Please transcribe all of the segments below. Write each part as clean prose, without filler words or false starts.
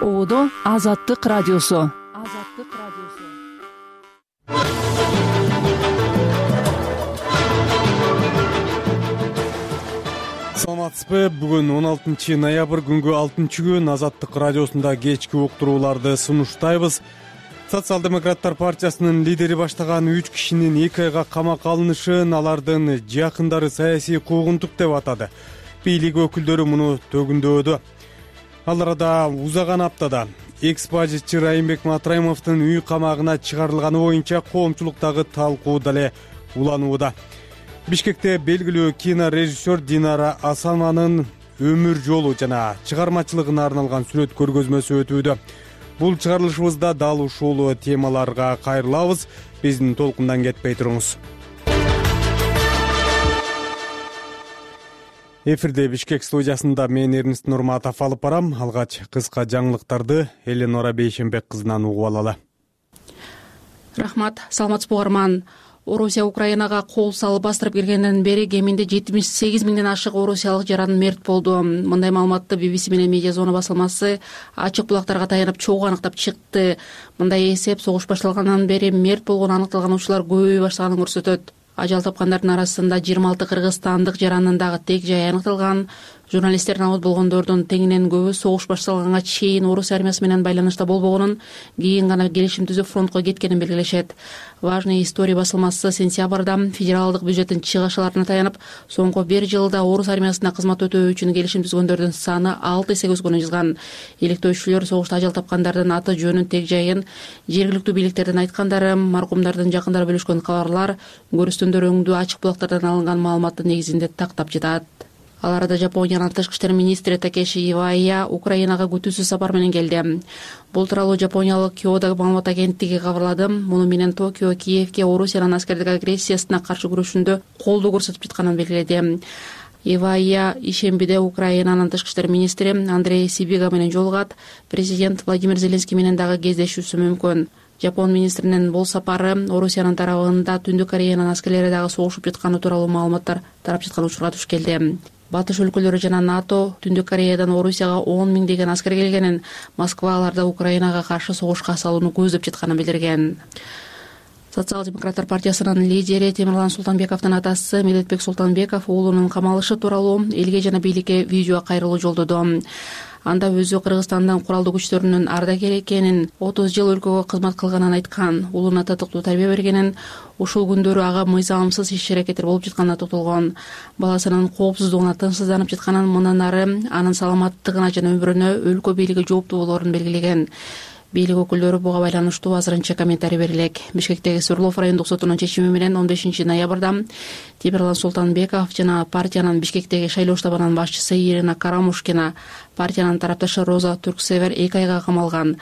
Оодо Азаттык радиосу. Саламатсызбы? Бүгүн 16 ноябрь күнгү 6-күн Азаттык радиосунда кечки уктурууларды сунуштайбыз. Социал-демократтар партиясынын лидери баштаган 3 кишинин 2 айга камакка алынышын алардын жакындары саясий куугунтук деп атады. Бийлик өкүлдөрү муну төгүндөдү. Ал арада узаган аптада экс-бажычы Райымбек Матраимовдун үй камагына чыгарылганы боюнча коомчулуктагы талкуу дале уланууда. Бишкекте белгилүү кинорежиссер Динара Асанованын өмүр жолу жана чыгармачылыгына арналган сүрөт көргөзмөсү өтүүдө. Бул чыгарылышыбызда дал ушул темаларга кайрылабыз. Биздин толкундан кетпей туруңуз. Эфирде Бишкек студиясында мен Эрнест Нурматов алып барам. Алгач кыска жаңылыктарды Эленора Бейшенбек кызынан угуп алалы. Рахмат, саламатсызбы угарман. Орусия Украинага кол салып бастырып киргенден бери кеминде 78 миңден ашык орусиялык жаран мерт болду. Мындай маалыматты BBC менен Медиа Зона басылмасы ачык булактарга таянып чогуу аныктап чыкты. Мындай эсеп согуш башталгандан бери мерт болгону аныкталган учурлар көбөйө баштаганын көрсөтөт. Ажал тапкандардын арасында 26 кыргызстандык жарандын дагы тег жайы аныкталган. Журналисттер намыт болгондордун теңинен көбү согуш башталганга чейин орус армиясы менен байланышта болбогонун, кийин гана келишим түзүп фронтко кеткенин белгилешет. Важный история басылмасы сентябрда федералдык бюджеттин чыгышаларына таянып, соңку 1 жылда орус армиясында кызмат өтөө үчүн келишим түзгөндөрдүн саны 6 эсеге өскөнүн жазган. Иликтөөчүлөр согушта ажал тапкандардын аты жөнүн, тег жайын, жергиликтүү бийликтердин айткандары, маркумдардын жакындары бөлүшкөн кабарлар, көрүстөндөр өңдүү ачык булактардан алынган маалыматтын негизинде тактап жатат. Ал арада Жапониянын тышкы иштер министри Такеши Ивая Украинага күтүүсүз сапар менен келди. Бул тууралуу жапониялык Киодо маалымат агенттиги кабарлады. Муну менен Токио Киевке Орусиянын аскердик агрессиясына каршы күрөшүндө колдоо көрсөтүп жатканын белгиледи. Ивая ишембиде Украинанын тышкы иштер министри Андрей Сибига менен жолугат. Президент Владимир Зеленский менен дагы кездешүүсү мүмкүн. Жапон министринин бул сапары Орусиянын тарабында Түндүк Кореянын аскерлери дагы согушуп жатканы тууралуу маалыматтар тарап жаткан учурга туш келди. Батыш өлкөлөрү жана НАТО Түндүк Кореядан Орусияга 10 миңдеген аскер келгенин, Москва аларды Украинага каршы согушка салууну көздөп жатканын билдирген. Социал-демократтар партиясынын лидери Темирлан Султанбековдун атасы Медетбек Султанбеков уулунун камалышы тууралуу элге жана бийликке видео кайрылуу жолдоду. Анда өзү Кыргызстандын куралдуу күчтөрүнүн ардагери экенин, 30 жыл өлкөгө кызмат кылганын айткан, уулуна татыктуу тарбия бергенин, ушул күндөрү ага мыйзамсыз иш-аракеттер болуп жатканына токтолгон. Баласынын коопсуздугуна тынчсызданып жатканын, мындан ары анын саламаттыгына жана өмүрүнө өлкө бийлиги жооптуу болоорун белгилеген. Бийлик өкүлдөрү буга байланыштуу азырынча комментарий берилек. Бишкектеги Сурлов райондук сотунун чечими менен 15 ноябрда Темирлан Султанбеков жана партиянын Бишкектеги шайлоо штабынын башчысы Ирина Карамушкина, партиянын тарапташы Роза Турксевер 2 айга камалган.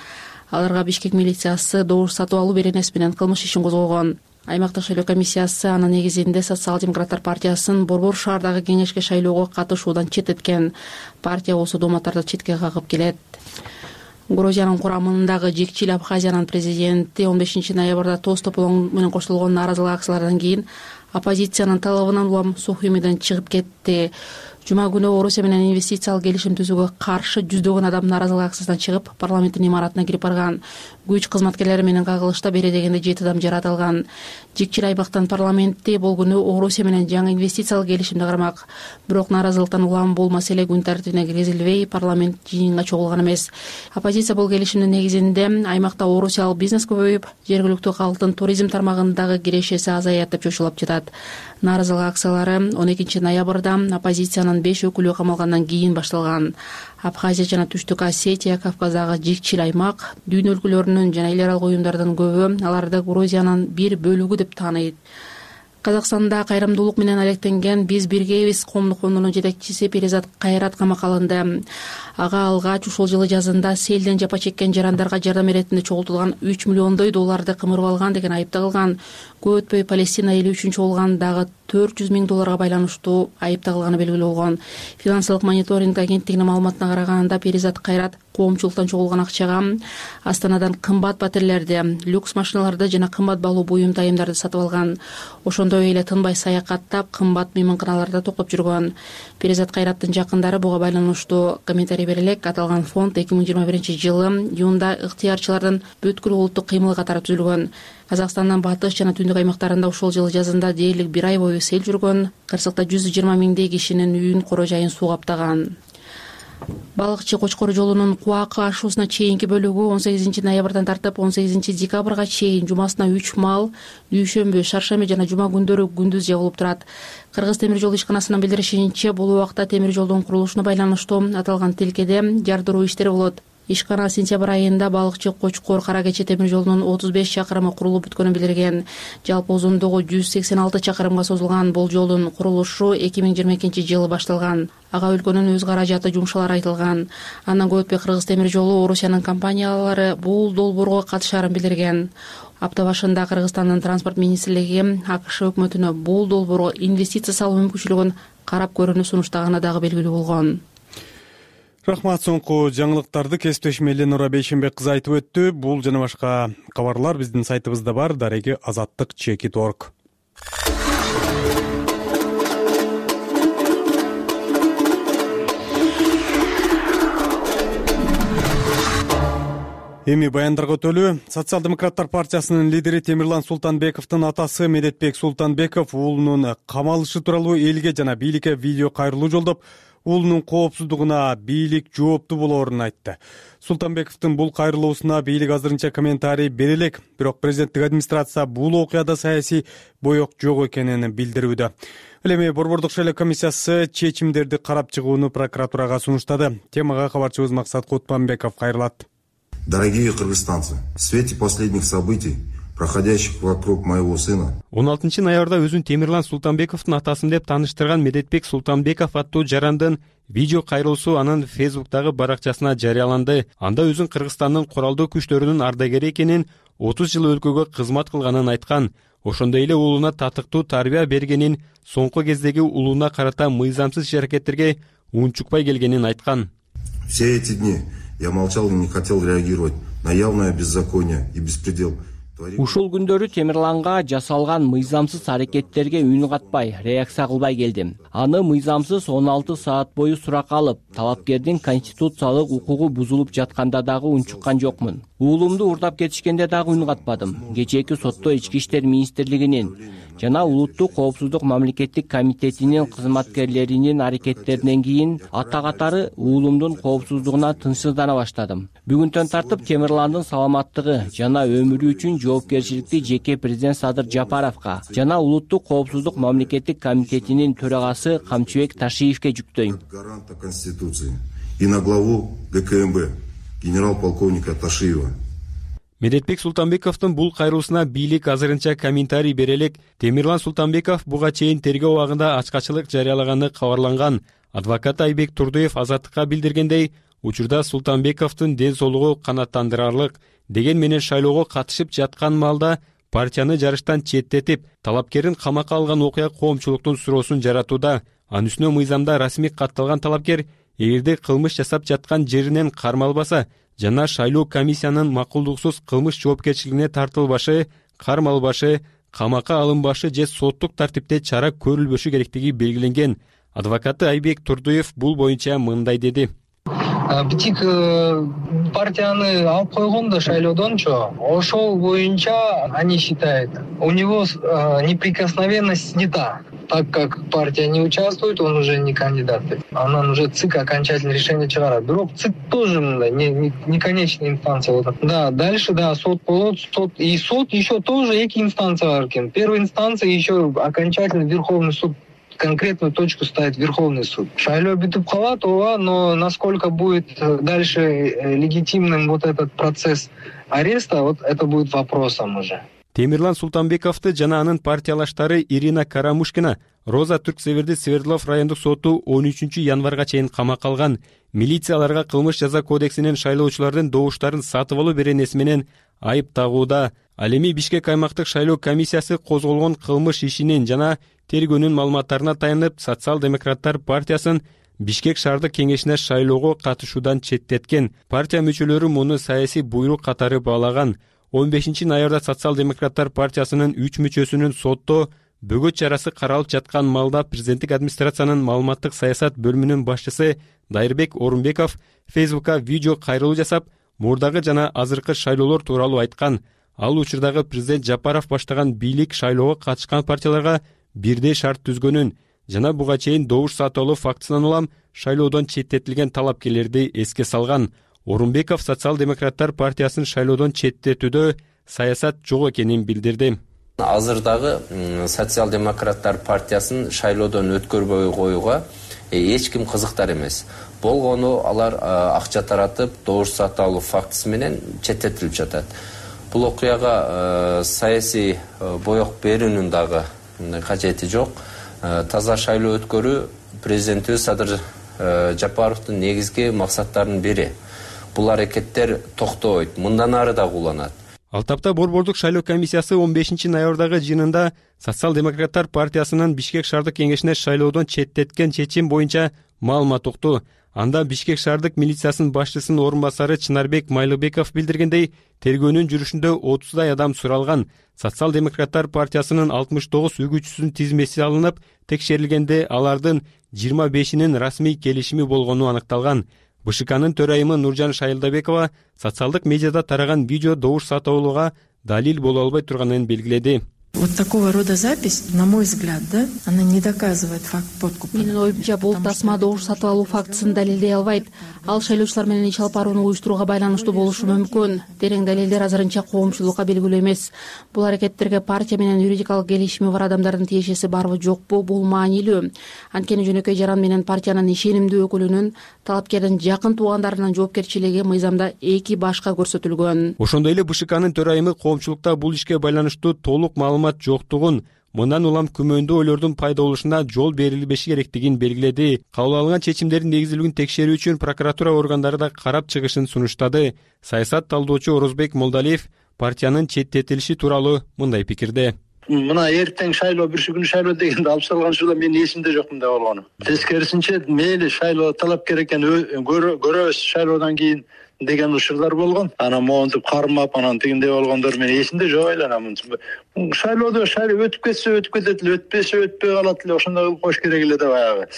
Аларга Бишкек милициясы добуш сатып алуу беренеси менен кылмыш ишин козгогон. Аймактык шайлоо комиссиясы анын негизинде Социал-демократтар партиясын Борбор шаардагы кеңешке шайлоого катышуудан четтеткен. Партия осы дооматтарды четке кагып келет. Грузиянын курамындагы Жекчил Абхазиянын президенти 15 ноябрда тоз тополоң менен коштолгон нааразылык акциялардан кийин оппозициянын талабынан улам Сухумиден чыгып кетти. Жума күнү Орусия менен инвестициялык келишим түзүүгө каршы жүздөгөн адам нааразылык акциясынан чыгып, парламенттин имаратына кирип барган. Күч кызматкерлери менен кагылышта бери дегенде 7 адам жаратылган. Жекчил аймактын парламенти бул күнү Орусия менен жаңы инвестициялык келишимди кармак. Бирок нааразылыктан улам бул маселе күн тартибине киргизилбей, парламент жыйынга чогулган эмес. Оппозиция бул келишимдин негизинде аймакта орусиялык бизнес көбөйүп, жергиликтүү калктын туризм тармагындагы кирешеси азаят деп чочулап жатат. Нааразылык акциялары 12 ноябрда оппозициянын 5 өкүлү камалгандан кийин башталган. Абхазия жана Түштүк Осетия Кавказдагы жекчил аймак, дүйнө өлкөлөрүнүн жана эл аралык уюмдардын көбү аларды Грузиянын бир бөлүгү деп тааныйт. Казакстанда кайрымдуулук менен алектенген Биз биргейбиз коомдук фондунун жетекчиси Перизат Кайрат камакка алынды. Ага алгач ушул жылы жазында селден жапа чеккен жарандарга жардам эретинде чогултулган 3 миллиондой долларды кымырып алган деген айып тагылган. Көп өтпөй Палестина эли үчүн чогулган дагы 400 миң долларга байланыштуу айып тагылганы белгилүү болгон. Финансылык мониторинг агенттигинин маалыматына караганда Перизат Кайрат коомчулуктан чогулган акчага Астанадан кымбат батирлерди, люкс машиналарды жана кымбат баалуу буюм тайымдарды сатып алган. Ошондой эле тынбай саякаттап, кымбат мейманканаларда токтоп жүргөн. Перизат Кайраттын жакындары буга байланыштуу комментарий бере элек. Аталган фонд 2021-жылы июнда ыктыярчылардын бүткүл улуттук кыймылы катары түзүлгөн. Казакстандын батыш жана түндүк аймактарында ушул жылы жазында дээрлик 1 ай бою сел жүргөн. Кырсыкта 120 миңдей кишинин үйүн, кора жайын суу каптаган. Балыкчы Кочкор жолунун Куакы ашуусуна чейинки бөлүгү 18 ноябрдан тартып 18 декабрга чейин жумасына 3 мал дүйшөмбү, шаршемби жана жума күндөрү күндүз жабылып турат. Кыргыз темир жол ишканасынын билдиришинче, бул убакта темир жолдун курулушуна байланыштуу аталган тилкеде жардыруу иштери болот. Ишкана сентябрь айында Балыкчы Кочкор Кара Кече темир жолунун 35 чакырымы курулуп бүткөнүн билдирген. Жалпы узундугу 186 чакырымга созулган бул жолдун курулушу 2022-жылы башталган. Ага өлкөнүн өз каражаты жумшалары айтылган. Андан көп өтпөй Кыргыз темир жолу Орусиянын компаниялары бул долбоорго катышаарын билдирген. Апта башында Кыргызстандын транспорт министрлиги АКШ өкмөтүнө бул долбоорго инвестиция салуу мүмкүнчүлүгүн карап көрүүнү сунуштаганы дагы белгилүү болгон. Рахмат. Соңку жаңылыктарды кесиптешим Эленора Бейшенбек кызы айтып өттү. Бул жана башка кабарлар биздин сайтыбызда бар. Дареги azаттык.org. Эми баяндарга өтөлү. Социал-демократтар партиясынын лидери Темирлан Султанбековдун атасы Медетбек Султанбеков уулунун камалышы тууралуу элге жана бийликке видео кайрылуу жолдоп, уулунун коопсуздугуна бийлик жооптуу болоорун айтты. Султанбековдун бул кайрылуусуна бийлик азырынча комментарий бере элек, бирок президенттик администрация бул окуяда саясий боек жок экенин билдирүүдө. Ал эми Борбордук шайлоо комиссиясы чечимдерди карап чыгууну прокуратурага сунуштады. Темага кабарчыбыз Максат Кутманбеков кайрылат. Дорогие кыргызстанцы, в свете последних событий, проходящих вокруг моего сына. 16 ноябрда өзүн Темирлан Султанбековдун атасын деп тааныштырган Медетбек Султанбеков аттуу жарандын видео кайрылуусу анын Фейсбуктагы баракчасына жарыяланды. Анда өзүн Кыргызстандын куралдуу күчтөрүнүн ардагери экенин, 30 жыл өлкөгө кызмат кылганын айткан. Ошондой эле уулуна татыктуу тарбия бергенин, соңку кездеги уулуна карата мыйзамсыз иш-аракеттерге унчукпай келгенин айткан. Все эти дни я молчал и не хотел реагировать на явное беззаконие и беспредел. Ушул күндөрү Темирланга жасалган мыйзамсыз аракеттерге үн катпай, реакция кылбай келдим. Аны мыйзамсыз 16 саат бою суракка алып, талапкердин конституциялык укугу бузулуп жатканда дагы унчуккан жокмун. Уулумду урдап кетишкенде дагы үн катпадым. Кечээки сотто Ички иштер министрлигинин жана Улуттук коопсуздук мамлекеттик комитетинин кызматкерлеринин аракеттеринен кийин ата катары уулумдун коопсуздугуна тынчсыздана баштадым. Бүгүнтөн тартып Темирландын саламаттыгы жана өмүрү үчүн жоопкерчиликти жеке президент Садыр Жапаровго жана Улуттук коопсуздук мамлекеттик комитетинин төрагасы Камчыбек Ташиевке жүктөйм. Гаранта Конституции и на главу ГКМБ генерал-полковника Ташиева. Медетбек Султанбековдун бул кайрылуусуна бийлик азырынча комментарий бере элек. Темирлан Султанбеков буга чейин тергөө убагында ачкачылык жарыялаганы кабарланган. Адвокат Айбек Турдуев Азаттыкка билдиргендей, учурда Султанбековдун ден соолугу канааттандырарлык деген менен шайлоого катышып жаткан маалда партияны жарыштан четтетип, талапкерин камакка алган окуя коомчулуктун суроосун жаратууда. Анын үстүнө мыйзамда расмий катталган талапкер эгерде кылмыш жасап жаткан жеринен кармалбаса жана шайлоо комиссиянын макулдуксуз кылмыш жоопкерчилигине тартылбашы, кармалбашы, камакка алынбашы же соттук тартипте чара көрүлбөшү керектиги белгиленген. Адвокаты Айбек Турдуев бул боюнча мындай деди. Битик партияны алып койгон да шайлоодончу, ошол боюнча они считают, у него неприкосновенность снята. Так как партия не участвует, он уже не кандидат. Анан уже ЦИК окончательное решение чыгарат. Бирок ЦИК тоже не конечная инстанция. Да, дальше, да, суд болот, суд еще тоже эки инстанция бар экен. Первая инстанция еще окончательно Верховный суд. Конкретную точку ставит Верховный суд. Шайлоо бүтүп калат, ооба, но насколько будет дальше легитимным вот этот процесс ареста, вот это будет вопросом уже. Темирлан Султанбековду жана анын партиялаштары Ирина Карамушкина Роза Түрксеверди Свердлов райондук соту 13 январга чейин камакка алган. Милицияларга кылмыш жаза кодексинин шайлоочулардын добуштарын сатып алуу беренеси менен айып тагууда. Ал эми Бишкек аймактык шайлоо комиссиясы козголгон кылмыш ишинин жана тергөөнүн маалыматтарына таянып, Социал-демократтар партиясын Бишкек шаардык кеңешине шайлоого катышуудан четтеткен. Партия мүчөлөрү муну саясий буйрук катары баалаган. 15 ноябрда Социал-демократтар партиясынын 3 мүчөсүнүн сотто бөгөт чарасы каралып жаткан маалда президенттик администрациянын маалыматтык саясат бөлүмүнүн башчысы Дайырбек Орунбеков Фейсбукка видео кайрылуу жасап, мурдагы жана азыркы шайлоолор тууралуу айткан. Ал учурдагы президент Жапаров баштаган бийлик шайлоого катышкан партияларга бирдей шарт түзгөнүн жана буга чейин добуш сатып алуу фактысынан улам шайлоодон четтетилген талапкерлерди эске салган. Орунбеков Социал-демократтар партиясын шайлоодон четтетүүдө саясат жок экенин билдирди. Азырдагы Социал-демократтар партиясын шайлоодон өткөрбөй коюуга эч ким кызыктар эмес. Болгону алар акча таратып, добуш сатып алуу фактысы менен четтетилип жатат. Бул окуяга саясий боек берүүнүн дагы кажети жок. Таза шайлоо өткөрүү президентибиз Садыр Жапаровдун негизги максаттарынын бири. Бул аракеттер токтобойт, мындан ары да уланат. Ал тапта Борбордук шайлоо комиссиясы 15 ноябрдагы жыйынында Социал-демократтар партиясынын Бишкек шаардык кеңешине шайлоодон четтеткен чечим боюнча маалымат укту. Анда Бишкек шаардык милициясынын башчысынын орун басары Чынарбек Майлыбеков билдиргендей, тергөөнүн жүрүшүндө 30дай адам суралган. Социал-демократтар партиясынын 69 үгүтчүсүнүн тизмеси алынып, текшерилгенде алардын 25-нин расмий келишими болгону аныкталган. БШКнын төрайымы Нуржан Шайылдабекова социалдык медиада тараган видео добуш сатып алууга далил боло албай турганын белгиледи. Вот такого рода запись, на мой взгляд, да, она не доказывает факт подкупа. Менин оюмча, бул тасма добуш сатып алуу фактысын далилдей албайт. Ал шайлоочулар менен иш алып барууну уюштурууга байланыштуу болушу мүмкүн. Терең далилдер азырынча коомчулукка белгилүү эмес. Бул аракеттерге партия менен юридикалык келишими бар адамдардын тиешеси барбы жокпу, бул маанилүү. Анткени Жөнөкөй Жаран менен партиянын ишенимдүү өкүлүнүн талапкердин жакын туугандарынын жоопкерчилиги мыйзамда 2 башка көрсөтүлгөн. Ошондой эле БШКнын төрайымы коомчулукта бул ишке байланыштуу толук маалымат жоктугун, мындан улам күмөндүү ойлордун пайда болушуна жол берилбеши керектигин белгиледи. Кабыл алынган чечимдердин негизилигин текшерүү үчүн прокуратура органдары да карап чыгышын сунуштады. Саясат талдоочу Орозбек Молдалиев партиянын четтетилиши тууралуу мындай пикирде. Мына эртең шайлоо, бүрсү күнү шайлоо дегенде алып салган учурда менин эсимде жок мындай болгону. Тескерисинче мейли шайлоо талапкер экен, көрөбүз шайлоодон кийин деген учурлар болгон. Анан монтип кармап, анан тигиндей болгондор менин эсимде жок айланам. Шайлоодо шайлоо өтүп кетсе өтүп кетет эле, өтпөсө өтпөй калат эле, ошондой кылып коюш керек эле да баягы.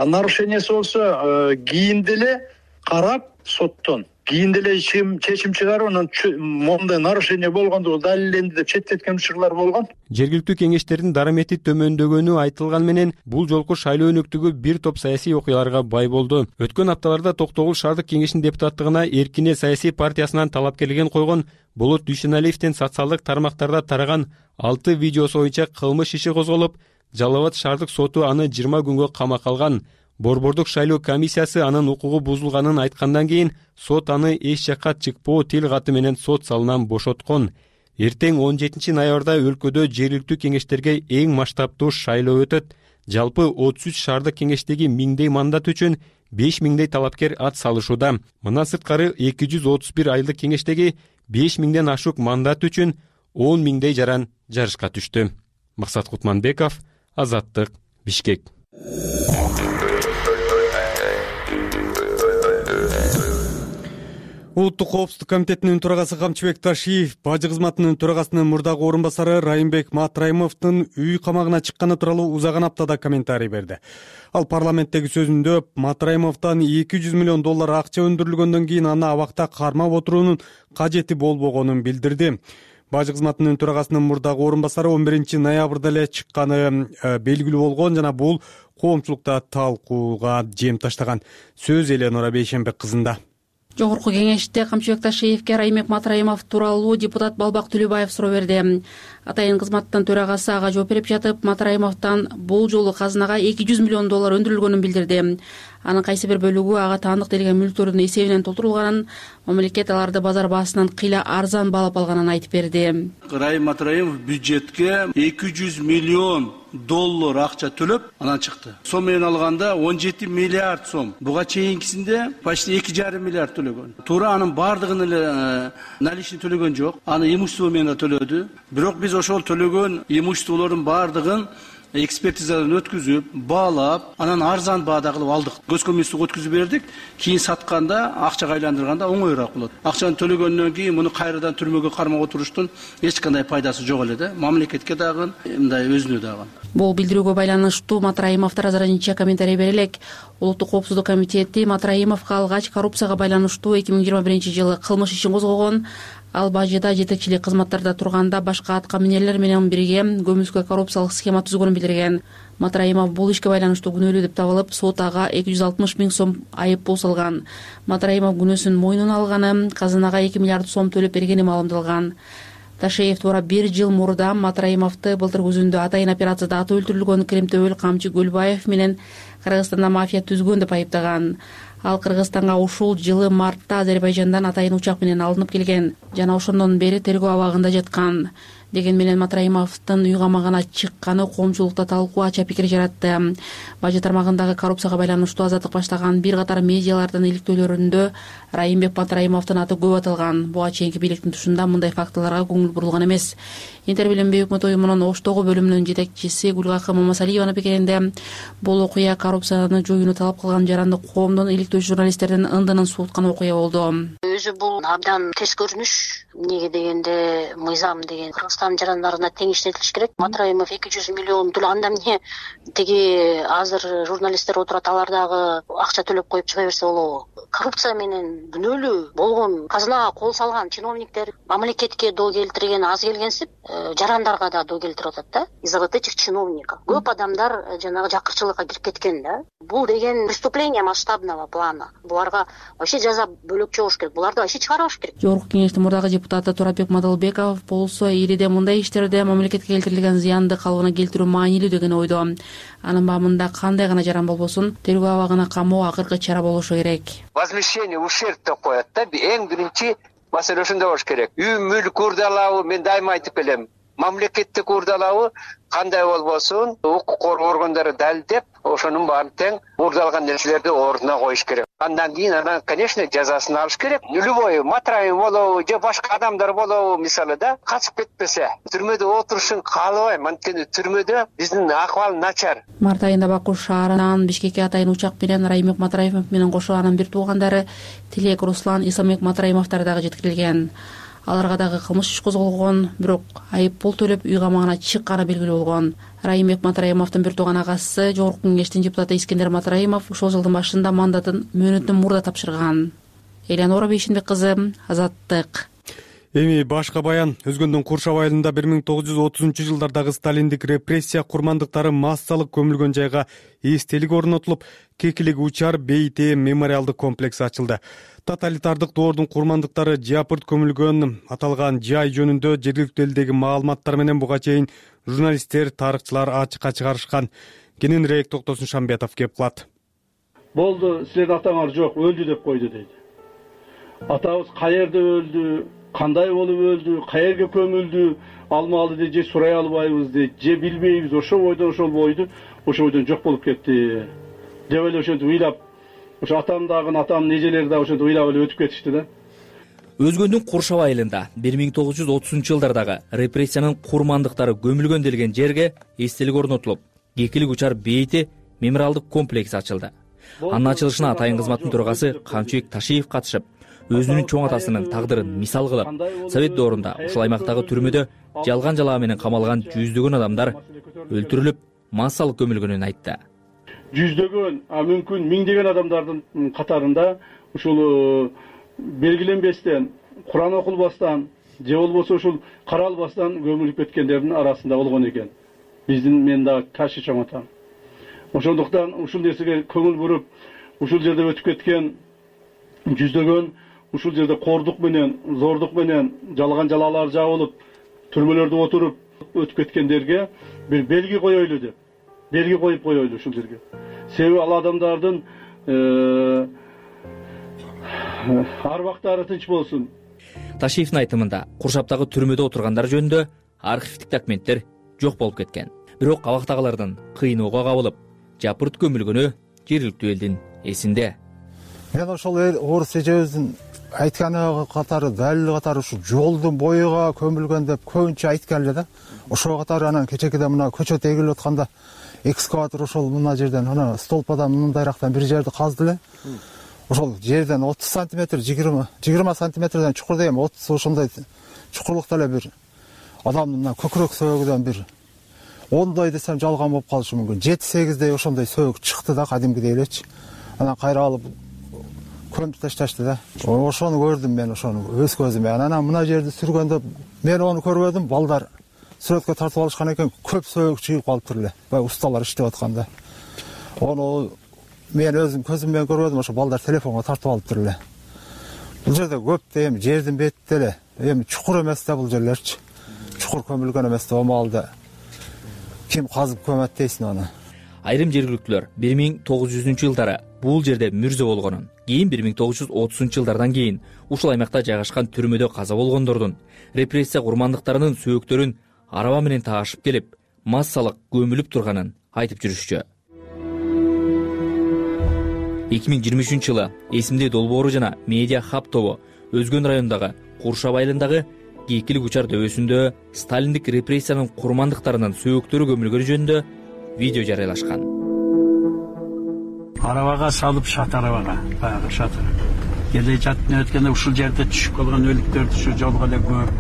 Нарушениясы болсо кийин деле карап соттон кийин деле чечим чыгарып, анан мондай нарушение болгондугу далилденди деп четтеткен учурлар болгон. Жергиликтүү кеңештердин дарамети төмөндөгөнү айтылган менен бул жолку шайлоо өнөктүгү бир топ саясий окуяларга бай болду. Өткөн апталарда Токтогул шаардык кеңешинин депутаттыгына Эркине саясий партиясынан талапкерлигин койгон Болот Дүйшеналиевдин социалдык тармактарда тараган 6 видеосу боюнча кылмыш иши козголуп, Жалал Абад шаардык соту аны 20 күнгө камакка алган. Борбордук шайлоо комиссиясы анын укугу бузулганын айткандан кийин сот аны эч жакка чыкпоо тил каты менен сот салынан бошоткон. Эртең 17 ноябрда өлкөдө жергиликтүү кеңештерге эң масштабтуу шайлоо өтөт. Жалпы 33 шаардык кеңештеги миңдей мандат үчүн 5000дей талапкер ат салышууда. Мындан сырткары 231 айылдык кеңештеги 5000ден ашук мандат үчүн 10.000дей жаран жарышка түштү. Максат Кутманбеков, Азаттык, Бишкек. Улуттук коопсуздук комитетинин төрагасы Камчыбек Ташиев бажы кызматынын төрагасынын мурдагы орун басары Райымбек Матраимовдун үй камагына чыкканы тууралуу узаган аптада комментарий берди. Ал парламенттеги сөзүндө Матраимовдон $200 миллион акча өндүрүлгөндөн кийин аны абакта кармап отуруунун кажети болбогонун билдирди. Бажы кызматынын төрагасынын мурдагы орун басары 11 ноябрда эле чыкканы белгилүү болгон жана бул коомчулукта талкууга жем таштаган. Сөз Эленора Бейшенбек кызында. Жогорку кеңеште Камчыбек Ташиевке Райымбек Матраимов тууралуу депутат Балбак Түлүбаев суроо берди. Атайын кызматтын төрагасы ага жооп берип жатып, Матраимовдон бул жолу казынага $200 миллион өндүрүлгөнүн билдирди. Анын кайсы бир бөлүгү ага таандык делген мүлктөрдүн эсебинен толтурулганын, мамлекет аларды базар баасынан кыйла арзан баалап алганын айтып берди. Райым Матраимов бюджетке $200 миллион акча төлөп анан чыкты. Сом менен алганда 17 миллиард сом. Буга чейинкисинде почти 2,5 миллиард төлөгөн. Туура анын бардыгын эле наличный төлөгөн жок. Аны имущество менен төлөдү. Бирок биз ошол төлөгөн имуществолордун бардыгын экспертизадан өткүзүп баалап анан арзан баада кылып алдык. Көз көмүстүк өткүзүп бердик. Кийин сатканда, акчага айландырганда оңоюраак болот. Акчаны төлөгөндөн кийин муну кайрадан түрмөгө кармап отуруштун эч кандай пайдасы жок эле да. Мамлекетке дагы, мындай өзүнө дагы. Бул билдирүүгө байланыштуу Матраимовдор азырынча комментарий бере элек. Улуттук коопсуздук комитети Матраимовго алгач коррупцияга байланыштуу 2021-жылы кылмыш ишин козгогон. Ал бажыда жетекчилик кызматтарда турганда башка аткаминерлер менен бирге көмүскө коррупциялык схема түзгөнүн билдирген. Матраимов бул ишке байланыштуу күнөөлүү деп табылып, сот ага 260 000 сом айып пул салган. Матраимов күнөөсүн мойнуна алганы, казынага 2 миллиард сом төлөп бергени маалымдалган. Ташеев туура 1 жыл мурда Матраимовду былтыр күзүндө атайын операцияда аты өлтүрүлгөн Кремтөбөл камчы Гөлбаев менен Кыргызстанда мафия түзгөн деп айыптаган. Ал Кыргызстанга ушул жылы мартта Азербайжандан атайын учак менен алынып келген жана ошондон бери тергөө абагында жаткан. Деген менен Матраимовдун үй камагына чыкканы коомчулукта талкуу ача пикир жаратты. Бажы тармагындагы коррупцияга байланыштуу Азаттык баштаган бир катар медиалардын иликтөөлөрүндө Райымбек Матраимовдун аты көп аталган. Буга чейинки бийликтин тушунда мындай фактыларга көңүл бурулган эмес. Интер Билим Бей өкмөт уюмунун Оштогу бөлүмүнүн жетекчиси Гүлгакы Мамасалиеванын пикиринде бул окуя коррупцияны жоюуну талап кылган жаранды коомдон иликтөөчү журналисттердин ындынын сууткан окуя болду. Өзү бул абдан терс көрүнүш. Эмнеге дегенде мыйзам деген Кыргызстан жарандарына тең иштетилиш керек. Матраимов 200 миллион төлөп, анда эмне тиги азыр журналисттер отурат, алар дагы акча төлөп коюп чыга берсе болобу? Коррупция менен күнөөлүү болгон, казынага кол салган чиновниктер мамлекетке доо келтирген аз келгенсип, жарандарга да доо келтирип атат да. Из-за вот этих чиновников көп адамдар жанагы жакырчылыкка кирип кеткен да. Бул деген преступление масштабного плана. Буларга вообще жаза бөлөкчө болуш керек. Буларды вообще чыгарыш керек. Жогорку кеңештин мурдагы депутаты Турабек Мадалбеков болсо ириде мындай иштерде мамлекетке келтирилген зыянды калыбына келтирүү маанилүү деген ойдо. Анын баамында кандай гана жаран болбосун, тергөө абагына камоо акыркы чара болушу керек. Возмещение ушерб деп коет да. Эң биринчи маселе ошондой болуш керек. Үй мүлк урдалабы, мен дайыма айтып келем. Мамлекеттик урдалабы кандай болбосун, укук коргоо органдары далилдеп, ошонун баарын тең урдалган нерселерди ордуна коюш керек. Андан кийин анан, конечно, жазасын алыш керек. Любой Матраев болобу, же башка адамдар болобу, мисалы да, качып кетпесе, түрмөдө отурушун каалабайм. Анткени түрмөдө биздин акыбал начар. Март айында Баку шаарынан Бишкекке атайын учак менен Райымбек Матраимов менен кошо анын бир туугандары Тилек Руслан Исамбек Матраимовдор дагы жеткирилген. Аларга дагы кылмыш иш козголгон, бирок айып пул төлөп үй камагына чыкканы белгилүү болгон. Райымбек Матраимовдун бир тууган агасы Жогорку кеңештин депутаты Искендер Матраимов ушул жылдын башында мандатын мөөнөтүн мурда тапшырган. Элеонора Бейшенбек кызы, Азаттык. Эми башка баян. Өзгөндүн Куршап айылында 1930-жылдардагы сталиндик репрессия курмандыктары массалык көмүлгөн жайга эстелик орнотулуп, Кекилик учар бейте мемориалдык комплекси ачылды. Тоталитардык доордун курмандыктары жапырт көмүлгөн аталган жай жөнүндө жергиликтүү элдеги маалыматтар менен буга чейин журналисттер, тарыхчылар ачыкка чыгарышкан. Кененирээк Токтосун Шамбетов кеп кылат. Болду, силердин атаңар жок, өлдү деп койду дейт. Атабыз каерде өлдү, кандай болуп өлдү, каерге көмүлдү, алмалы дейт, же сурай албайбыз дейт, же билбейбиз, ошол бойдон жок болуп кетти деп эле ошентип ыйлап, ошо атамдын эжелери да ошентип ыйлап эле өтүп кетишти да. Өзгөндүн Куршап айылында 1930-жылдардагы репрессиянын курмандыктары көмүлгөн делген жерге эстелик орнотулуп, Кекилик учар бейти мемориалдык комплекси ачылды. Анын ачылышына атайын кызматтын төрагасы Камчыбек Ташиев катышып, өзүнүн чоң атасынын тагдырын мисал кылып, Совет доорунда ушул аймактагы түрмөдө жалган жалаа менен камалган жүздөгөн адамдар өлтүрүлүп, массалык көмүлгөнүн айтты. Жүздөгөн, мүмкүн миңдеген адамдардын катарында ушул белгиленбестен, Куран окулбастан, же болбосо ушул каралбастан көмүлүп кеткендердин арасында болгон экен. Мен дагы ташы чоң атам. Ошондуктан ушул нерсеге көңүл буруп, ушул жерде өтүп кеткен жүздөгөн, ушул жерде кордук менен, зордук менен жалган жалаалар жабылып, түрмөлөрдө отуруп өтүп кеткендерге бир белги коелу деп. Белги коюп коелу ушул жерге. Себеби ал адамдардын арбактары тынч болсун. Ташиевдин айтымында Куршаптагы түрмөдө отургандар жөнүндө архивдик документтер жок болуп кеткен. Бирок абактагылардын кыйноого кабылып, жапырт көмүлгөнү жергиликтүү элдин эсинде. Мен ошол орус эжебиздин айтканы катары, далил катары ушу жолдун боюга көмүлгөн деп көбүнчө айткан эле да. Ошого катары анан кечекеде мына көчөт эгилип атканда экскаватор ошол мына жерден мына столпадан мындайрактан бир жерди казды эле. Ошол жерден 30 сантиметр, 20 сантиметрден чукур дегем 30 ошондой чукурлукта эле бир адамдын мына көкүрөк сөөгүдөн бир 10 десем жалган болуп калышы мүмкүн. 7-8 ошондой сөөгү чыкты да, кадимкидей элечи. Анан кайра алып көмүп ташташты да. Ошону көрдүм мен, ошону өз көзүм. Анан мына жерди сүргөндө мен ону көрбөдүм, балдар сүрөткө тартып алышкан экен, көп сөөгү чыгып калыптыр эле. Баягы усталар иштеп атканда. Ону мен өзүм көзүм менен көрбөдүм, ошо балдар телефонго тартып алыптыр эле. Бул жерде көп да, эми жердин бетинде эле, эми чукур эмес да бул жерлерчи. Чукур көмүлгөн эмес да, омалда ким казып көмөт дейсиң аны. Айрым жергиликтүүлөр 1900-жылдары бул жерде мүрзө болгонун, кийин 1930-жылдардан кийин ушул аймакта жайгашкан түрмөдө каза болгондордун репрессия курмандыктарынын сөөктөрүн араба менен таашып келип, массалык көмүлүп турганын айтып жүрүшчү. 2023-жылы эсимде долбоору жана медиа хаб тобу Өзгөн районундагы Куршап айылындагы Кийкилик учар дөбөсүндө сталиндик репрессиянын курмандыктарынын сөөктөрү көмүлгөнү жөнүндө видео жарыялашкан. Арабага салып шатарабага, баягы шатыр. Келе жатып өткөндө ушул жерде түшүп калган өлүктөрдү ушу жолго эле көмүп,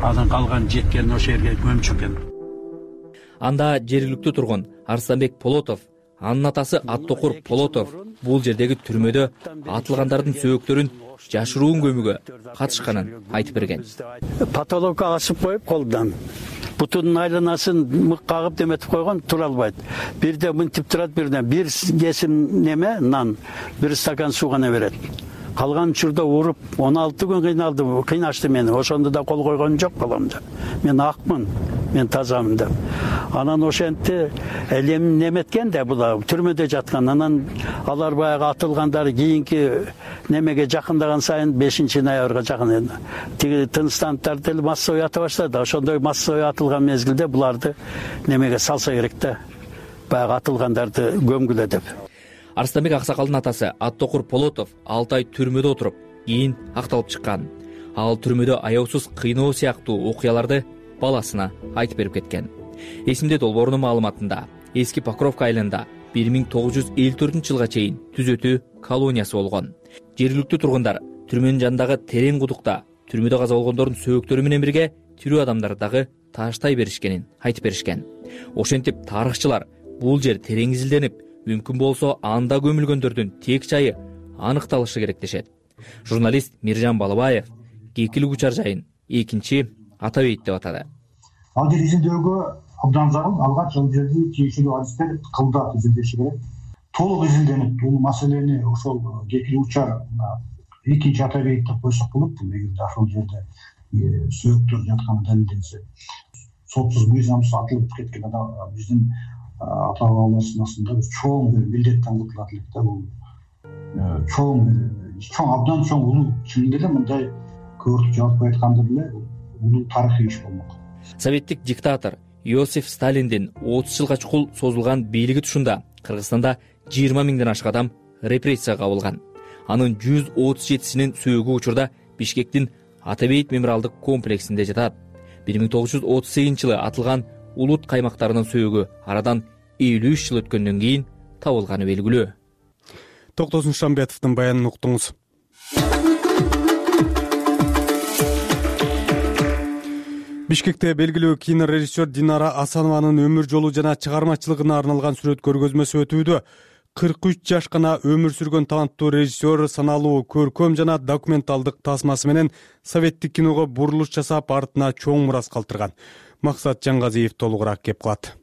анан калган жеткен ошол жерге көмүп чыккан. Анда жергиликтүү тургун Арстанбек Полотов, анын атасы Аттокур Полотов бул жердеги түрмөдө атылгандардын сөөктөрүн жашыруун көмүүгө катышканын айтып берген. Патологка асып коюп колдон бутунун айланасын мык кагып деметип койгон, тура албайт. Бирде мынтип турат, бирден бир кесим неме нан, бир стакан суу гана берет. Калган учурда уруп 16 күн кыйналды, кыйнашты мени. Ошондо да кол койгон жок баламда. Мен акмын, мен тазамын деп. Анан ошентти элем неметкен да була түрмөдө жаткан. Анан алар баягы атылгандары кийинки немеге жакындаган сайын 5-ноябрга жакын тиги тынчтанттар деле массовый ата баштады. Ошондой массовый атылган мезгилде буларды немеге салса керек да. Баягы атылгандарды көмгүлө деп. Арстанбек аксакалдын атасы Аттокур Полотов 6 ай түрмөдө отуруп, кийин акталып чыккан. Ал түрмөдө аяусуз кыйноо сыяктуу окуяларды баласына айтып берип кеткен. Эсимде долбоорунун маалыматында эски Покровка айылында 1954-жылга чейин түзөтүү колониясы болгон. Жергиликтүү тургундар түрмөнүн жанындагы терең кудукта түрмөдө каза болгондордун сөөктөрү менен бирге тирүү адамдарды дагы тааштай беришкенин айтып беришкен. Ошентип тарыхчылар бул жер терең изилденип, мүмкүн болсо анда көмүлгөндөрдүн тек жайы аныкталышы керек дешет. Журналист Миржан Балыбаев Кийкилик учар жайын 2 ата бейит деп атады. Ал жер изилдөөгө абдан зарыл. Алгач ал жерди тиешелүү адистер кылдап изилдеши керек. Толук изилденип, бул маселени ошол Кийкилик учар 2 ата бейит деп койсок болот. Эгерде ошол жерде сөөктөр жатканы далилденсе, сотсуз мыйзамсыз атылып кеткен адам биздин ата-бабаларыбыздын астында чоң бир милдеттен кутулат элек да. Бул чоң абдан чоң улуу, чынында эле мындай көрүп жаатпай айтканда деле улуу тарыхый иш болмок. Советтик диктатор Иосиф Сталиндин 30 жылга чукул созулган бийлиги тушунда Кыргызстанда 20 миңден ашык адам репрессияга кабылган. Анын 137синин сөөгү учурда Бишкектин Ата бейит мемориалдык комплексинде жатат. 1938-жылы атылган улут каймактарынын сөөгү арадан 53 жыл өткөндөн кийин табылганы белгилүү. Токтосун Шамбетовдун баянын уктуңуз. Бишкекте белгилүү кинорежиссер Динара Асанованын өмүр жолу жана чыгармачылыгына арналган сүрөт көргөзмөсү өтүүдө. 43 жаш гана өмүр сүргөн таланттуу режиссер саналуу көркөм жана документалдык тасмасы менен советтик киного бурулуш жасап, артына чоң мурас калтырган. Максат Жангазиев толугураак кеп калат.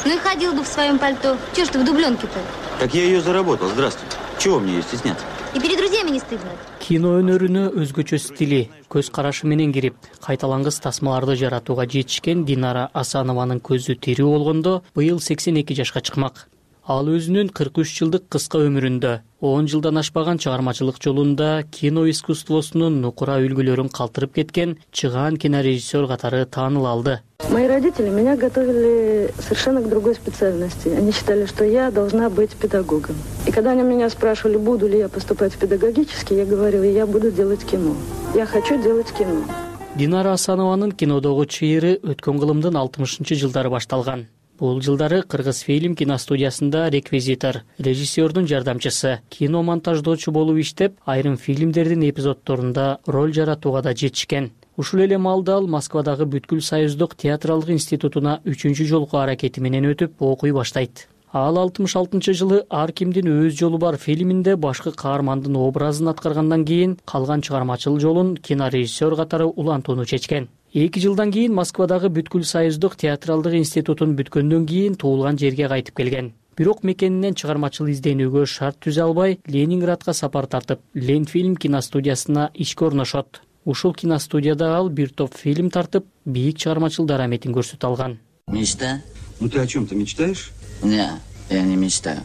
Ну и ходил бы в своем пальто. Чего ж ты в дубленке-то? Так я ее заработал. Здравствуйте. Чего мне ее стесняться? И перед друзьями не стыдно? Кино өнөрүнө өзгөчө стили, көз карашы менен кирип, кайталангыс тасмаларды жаратууга жетишкен Динара Асанованын көзү тирүү болгондо быйыл 82 жашка чыкмак. Ал өзүнүн 43 жылдык кыска өмүрүндө 10 жылдан ашпаган чыгармачылык жолунда кино искусствосунун нукура үлгүлөрүн калтырып кеткен чыгаан кинорежиссер катары тааныла алды. Мои родители меня готовили совершенно к другой специальности. Они считали, что я должна быть педагогом. И когда они меня спрашивали, буду ли я поступать в педагогический, я говорила, я буду делать кино. Я хочу делать кино. Динара Асанованын кинодогу чыйыры өткөн кылымдын 60-жылдары башталган. Бул жылдары Кыргыз фильм киностудиясында реквизитор, режиссердун жардамчысы, кино монтаждоочу болуп иштеп, айрым фильмдердин эпизоддорунда роль жаратууга да жетишкен. Ушул эле маалда ал Москвадагы Бүткүл Союздук театралдык институтуна 3-чү жолку аракети менен өтүп окуй баштайт. Ал 66-жылы Ар кимдин өз жолу бар фильминде башкы каармандын образын аткаргандан кийин калган чыгармачыл жолун кинорежиссер катары улантууну чечкен. 2 жылдан кийин Москвадагы Бүткүл Союздук театралдык институтун бүткөндөн кийин туулган жерге кайтып келген. Бирок мекенинен чыгармачыл изденүүгө шарт түзө албай, Ленинградка сапар тартып, Ленфильм киностудиясына ишке орношот. Ушул киностудияда ал бир топ фильм тартып, бийик чыгармачыл дараметин көрсөтө алган. Мечта? Ну ты о чем-то мечтаешь? Не, я не мечтаю.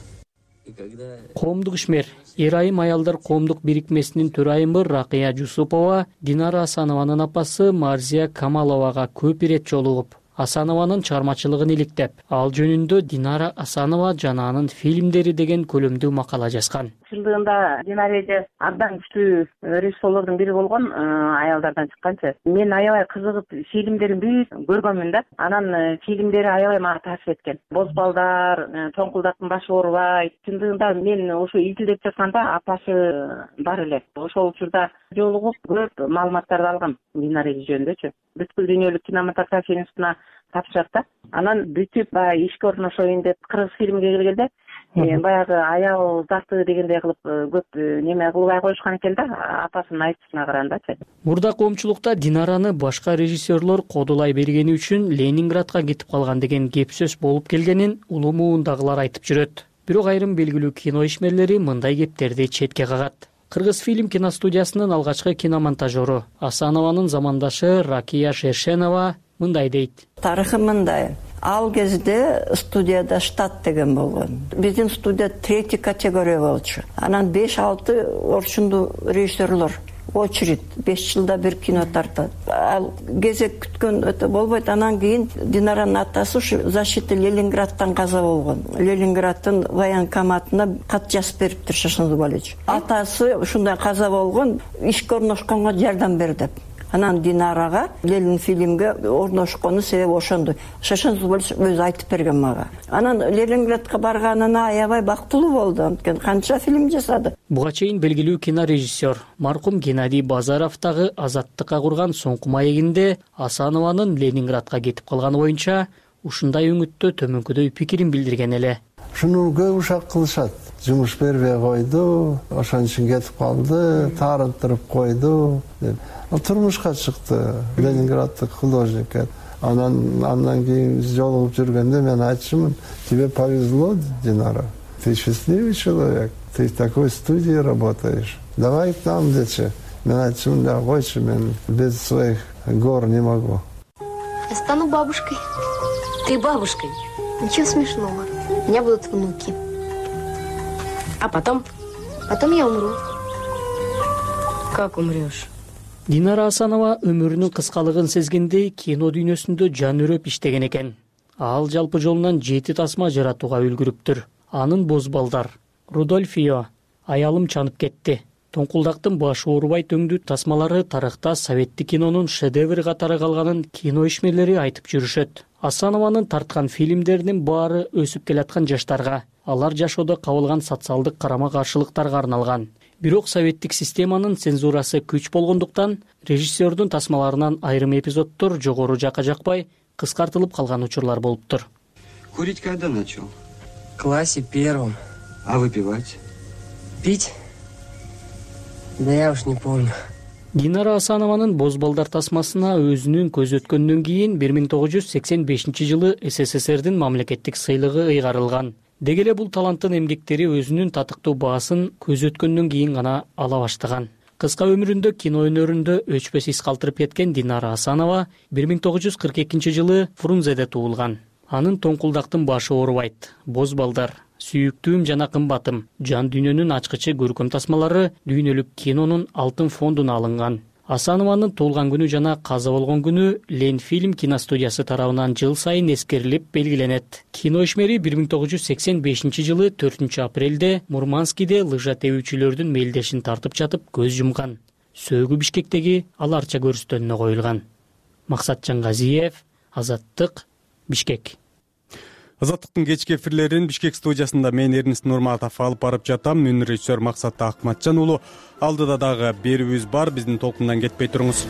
Коомдук ишмер, Эр-айым аялдар коомдук бирикмесинин төрайымы Ракыя Жусупова Динара Асанованын апасы Марзия Камаловага көп ирет жолугуп, Асанованын чыгармачылыгын иликтеп, ал жөнүндө Динара Асанова жана анын фильмдери деген көлөмдүү макала жазган. Чындыгында Динара эже абдан күчтүү режиссерлордун бири болгон, аялдардан чыкканчы. Мен аябай кызыгып фильмдерин бүт көргөнмүн да. Анан фильмдери аябай мага таасир эткен. Боз балдар, Тоңкулдактын башы оорубайт. Чындыгында мен ошо изилдеп жатканда апасы бар эле. Ошол учурда жолугуп көп маалыматтарды алгам Динара эже жөнүндөчү. Бүткүл дүйнөлүк кинематография институтуна тапшырат да. Анан бүтүп баягы ишке орношоюн деп кыргыз фильмге келгенде баягы аял заты дегендей кылып көп неме кылбай коюшкан экен да, апасынын айтышына карагандачы. Мурда коомчулукта Динараны башка режиссерлор кодулай бергени үчүн Ленинградка кетип калган деген кеп сөз болуп келгенин улуу муундагылар айтып жүрөт. Бирок айрым белгилүү кино ишмерлери мындай кептерди четке кагат. Кыргыз фильм киностудиясынын алгачкы киномонтажеру Асанованын замандашы Ракия Шершенова мындай дейт. Тарыхы мындай. Ал кезде студияда штат деген болгон. Биздин студия 3 категория болчу. Анан 5-6 орчундуу режиссерлор очередь 5 жылда бир кино тартат. Ал кезек күткөн өтө болбойт. Анан кийин Динаранын атасы ушу защита Ленинградтан каза болгон. Ленинградтын военкоматына кат жазып бериптир Шашын Зубалевич. Атасы ушундай каза болгон, ишке орношконго жардам бер деп. Анан Динарага Ленин фильмге орношкону себеби ошондо. Шашын Зубалевич өзү айтып берген мага. Анан Ленинградка барганына аябай бактылуу болду. Анткени канча фильм жасады. Буга чейин белгилүү кинорежиссер маркум Геннадий Базаров дагы Азаттыкка курган соңку маегинде Асанованын Ленинградка кетип калганы боюнча ушундай өңүттө төмөнкүдөй пикирин билдирген эле. Шуну көп ушак кылышат. Жумуш бербей койду, ошон үчүн кетип калды, таарынтырып койду деп. Ал турмушка чыкты, Ленинграддык художник. Андан кийин жолугуп жүргөндө мен айтчумун, тебе повезло, Динара. Ты счастливый человек, ты в такой студии работаешь. Давай к нам, дечи. Мен айтчумун, да койчу, мен без своих гор не могу. Я стану бабушкой. Ты бабушкой? Ничего смешного. У меня будут внуки. А потом? Потом я умру. Как умрешь? Динара Асанова өмүрүнүн кыскалыгын сезгендей кино дүйнөсүндө жан үрөп иштеген экен. Ал жалпы жолунан 7 тасма жаратууга үлгүрүптүр. Анын Боз балдар, Рудольфио, Аялым чанып кетти, Тоңкулдактын башы оорубай төңдүү тасмалары тарыхта советтик кинонун шедеври катары калганын кино ишмерлери айтып жүрүшөт. Асанованын тарткан фильмдеринин баары өсүп келаткан жаштарга, алар жашоодо кабылган социалдык карама-каршылыктарга арналган. Бирок советтик системанын цензурасы күч болгондуктан режиссердун тасмаларынан айрым эпизоддор жогору жакка жакпай кыскартылып калган учурлар болуптур. Курить когда начал? В классе 1. А выпивать? Пить? Да я уж не помню. Динара Асанованын Боз балдар тасмасына өзүнүн көз өткөндөн кийин 1985-жылы СССРдин мамлекеттик сыйлыгы ыйгарылган. Деги эле бул таланттын эмгектери өзүнүн татыктуу баасын көз өткөндөн кийин гана ала баштаган. Кыска өмүрүндө кино өнөрүндө өчпөс из калтырып кеткен Динара Асанова 1942-жылы Фрунзеде туулган. Анын Тоңкулдактын башы оорубайт, Боз балдар, Сүйүктүүм жана кымбатым, жан дүйнөнүн ачкычы көркөм тасмалары дүйнөлүк кинонун алтын фондуна алынган. Асанованын туулган күнү жана каза болгон күнү Ленфильм киностудиясы тарабынан жыл сайын эскерилип белгиленет. Кино ишмери 1985 жылы 4 апрелде Мурманскийде лыжа тебүүчүлөрдүн мелдешин тартып жатып көз жумган. Сөөгү Бишкектеги аларча көрүстөнүнө коюлган. Максатжан Газиев, Азаттык, Бишкек. Азаттыктын кечки эфирлерин Бишкек студиясында мен Эрнест Нурматов алып барып жатам. Үнүн режиссер Максат Акматжан уулу. Алдыда дагы берүүбүз бар. Биздин толкундан кетпей туруңуз.